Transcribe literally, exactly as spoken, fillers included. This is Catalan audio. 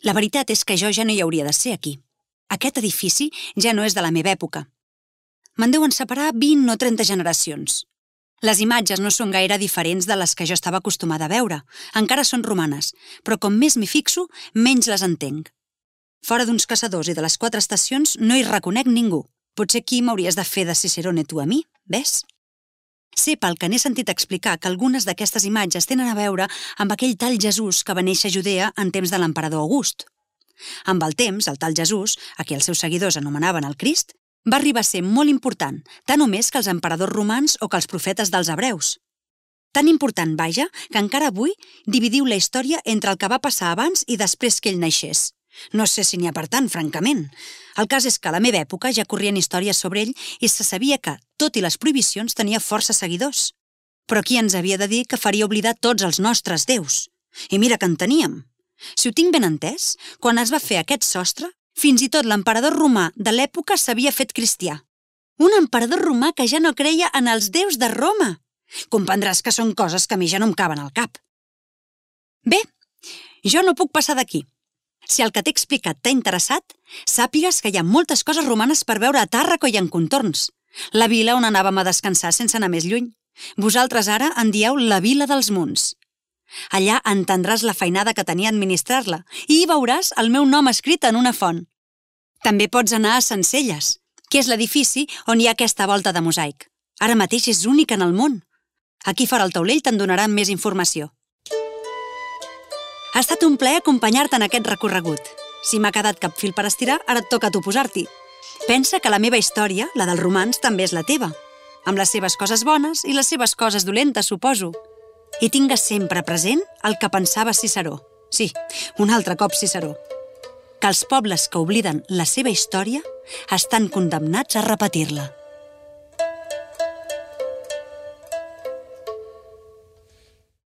La veritat és que jo ja no hi hauria de ser aquí. Aquest edifici ja no és de la meva època. Me'n deuen separar vint o trenta generacions. Les imatges no són gaire diferents de les que jo estava acostumada a veure. Encara són romanes, però com més m'hi fixo, menys les entenc. Fora d'uns caçadors i de les quatre estacions no hi reconec ningú. Potser aquí m'hauries de fer de Cicerone tu a mi, ves? Sé pel que n'he sentit explicar que algunes d'aquestes imatges tenen a veure amb aquell tal Jesús que va néixer a Judea en temps de l'emperador August. Amb el temps, el tal Jesús, a qui els seus seguidors anomenaven el Crist, va arribar a ser molt important, tant o més que els emperadors romans o que els profetes dels hebreus. Tan important, vaja, que encara avui dividiu la història entre el que va passar abans i després que ell naixés. No sé si n'hi ha per tant, francament. El cas és que a la meva època ja corrien històries sobre ell i se sabia que, tot i les prohibicions, tenia força seguidors. Però qui ens havia de dir que faria oblidar tots els nostres déus? I mira que en teníem. Si ho tinc ben entès, quan es va fer aquest sostre, fins i tot l'emperador romà de l'època s'havia fet cristià. Un emperador romà que ja no creia en els déus de Roma. Comprendràs que són coses que a mi ja no em caben al cap. Bé, jo no puc passar d'aquí. Si el que t'he explicat t'ha interessat, sàpigues que hi ha moltes coses romanes per veure a Tàrraco i en contorns. La vila on anàvem a descansar sense anar més lluny. Vosaltres ara en dieu la Vila dels Munts. Allà entendràs la feinada que tenia administrar-la i hi veuràs el meu nom escrit en una font. També pots anar a Sencelles, que és l'edifici on hi ha aquesta volta de mosaic. Ara mateix és únic en el món. Aquí fora el taulell te'n donaran més informació. Ha estat un plaer acompanyar-te en aquest recorregut. Si m'ha quedat cap fil per estirar, ara et toca a tu posar-t'hi. Pensa que la meva història, la dels romans, també és la teva, amb les seves coses bones i les seves coses dolentes, suposo. I tingues sempre present el que pensava Ciceró. Sí, un altre cop Ciceró. Que els pobles que obliden la seva història estan condemnats a repetir-la.